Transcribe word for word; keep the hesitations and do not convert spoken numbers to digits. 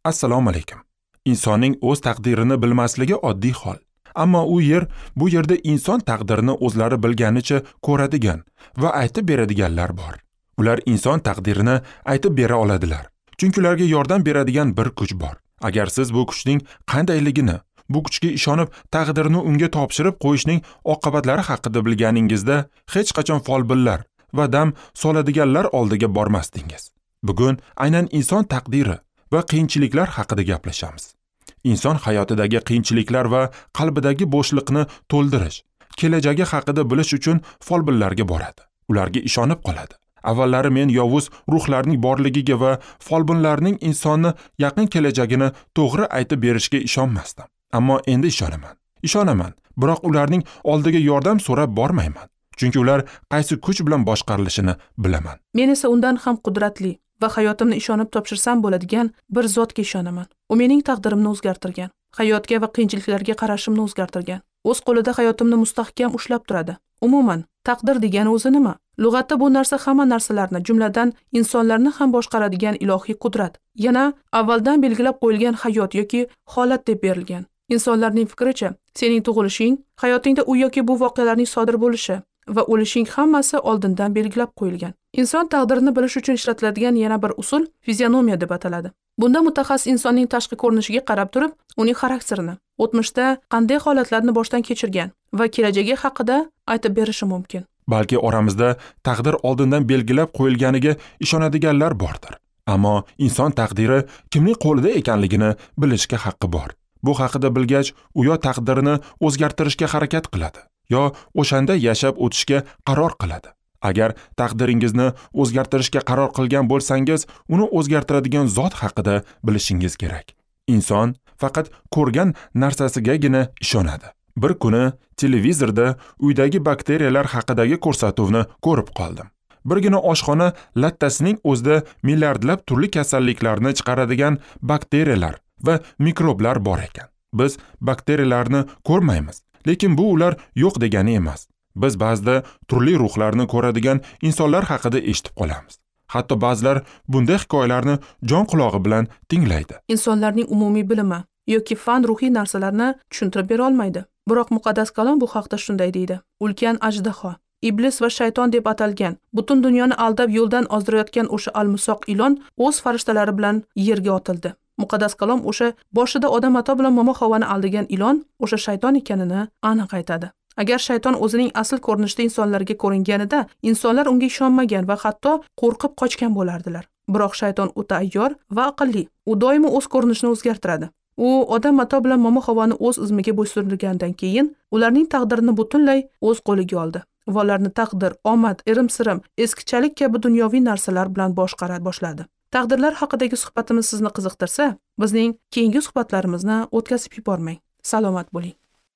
Assalomu alaykum. Insonning o'z taqdirini bilmasligi oddiy hol. Ammo u yer, bu yerda inson taqdirini o'zlari bilganicha ko'radigan va aytib beradiganlar bor. Ular inson taqdirini aytib bera oladilar. Chunki ularga yordam beradigan bir kuch bor. Agar siz bu kuchning qandayligini, bu kuchga ishonib taqdirni unga topshirib qo'yishning oqibatlari haqida bilganingizda hech qachon folbinlar va dam soladiganlar oldiga bormasdingiz. Bugun aynan inson taqdiri va qiyinchiliklar haqida gaplashamiz. Inson hayotidagi qiyinchiliklar va qalbidagi bo'shliqni to'ldirish, kelajagi haqida bilish uchun folbinlarga boradi. Ularga ishonib qoladi. Avvallari men yovuz ruhlarning borligiga va folbinlarning insonni yaqin kelajagini to'g'ri aytib berishiga ishonmasdim. Ammo endi ishonaman. Ishonaman, biroq ularning oldiga yordam so'rab bormayman. Chunki ular qaysi kuch bilan boshqarilishini bilaman. Men esa undan ham qudratli va hayotimni ishonib topshirsam bo'ladigan bir zotga ishonaman. U mening taqdirimni o'zgartirgan, hayotga va qiyinchiliklarga qarashimni o'zgartirgan. O'z qo'lida hayotimni mustahkam ushlab turadi. Umuman, taqdir degani o'zi nima? Lug'atda bu narsa hamma narsalarni, jumladan insonlarni ham boshqaradigan ilohiy qudrat. Yana avvaldan belgilab qo'yilgan hayot yoki holat deb berilgan. Insonlarning fikricha, sening tug'ilishing, hayotingda u yoki bu voqealarning sodir bo'lishi va o'lishing hammasi oldindan belgilab qo'yilgan. Inson taqdirini bilish uchun ishlatiladigan yana bir usul fizionomiya deb ataladi. Bunda mutaxassis insonning tashqi ko'rinishiga qarab turib, uning xarakterini, o'tmishda qanday holatlarni boshdan kechirgan va kelajagi haqida aytib berishi mumkin. Balki oramizda taqdir oldindan belgilab qo'yilganiga ishonadiganlar bordir. Ammo inson taqdiri kimning qo'lida ekanligini bilishga haqqi bor. Bu haqida bilgach, u yo taqdirini o'zgartirishga harakat qiladi, yo o'shanda yashab o'tishga qaror qiladi. Agar taqdiringizni o'zgartirishga qaror qilgan bo'lsangiz, uni o'zgartiradigan zot haqida bilishingiz kerak. Inson faqat ko'rgan narsasigagina ishonadi. Bir kuni televizorda uydagi bakteriyalar haqidagi ko'rsatuvni ko'rib qoldim. Birgina oshxona lattasining o'zida milliardlab turli kasalliklarni chiqaradigan bakteriyalar va mikroblar bor ekan. Biz bakteriyalarni ko'rmaymiz, lekin bu ular yo'q degani emas. Biz ba'zida turli ruhlarni ko'radigan insonlar haqida eshitib qolamiz. Hatto ba'zilar bunday hikoyalarni jon qulog'i bilan tinglaydi. Insonlarning umumiy bilimi yoki fan ruhiy narsalarni tushuntirib bera olmaydi. Biroq muqaddas kalom bu haqda shunday deydi: ulkan ajdaho, iblis va shayton deb atalgan, butun dunyoni aldab yo'ldan ozdirayotgan o'sha almisoq ilon o'z farishtalari bilan yerga otildi. Muqaddas kalom o'sha boshida odam ato bilan momo Havoni aldagan ilon o'sha shayton ekanini aniq aytadi. Agar shayton o'zining asl ko'rinishida insonlarga ko'ringanida, insonlar unga ishonmagan va hatto qo'rqib qochgan bo'lardilar. Biroq shayton o'ta ayyor va aqlli. U doimo o'z ko'rinishini o'zgartiradi. U odam ato bilan momo Havoni o'z izmiga bo'ysundirgandan keyin ularning taqdirini butunlay o'z qo'liga oldi va ularni taqdir, omad, irim-sirim, eskichalik kabi dunyoviy narsalar bilan boshqara boshladi. Taqdirlar haqidagi suhbatimiz sizni qiziqtirsa, bizning keyingi suhbatlarimizni o'tkazib yubormang. Salomat bo'ling.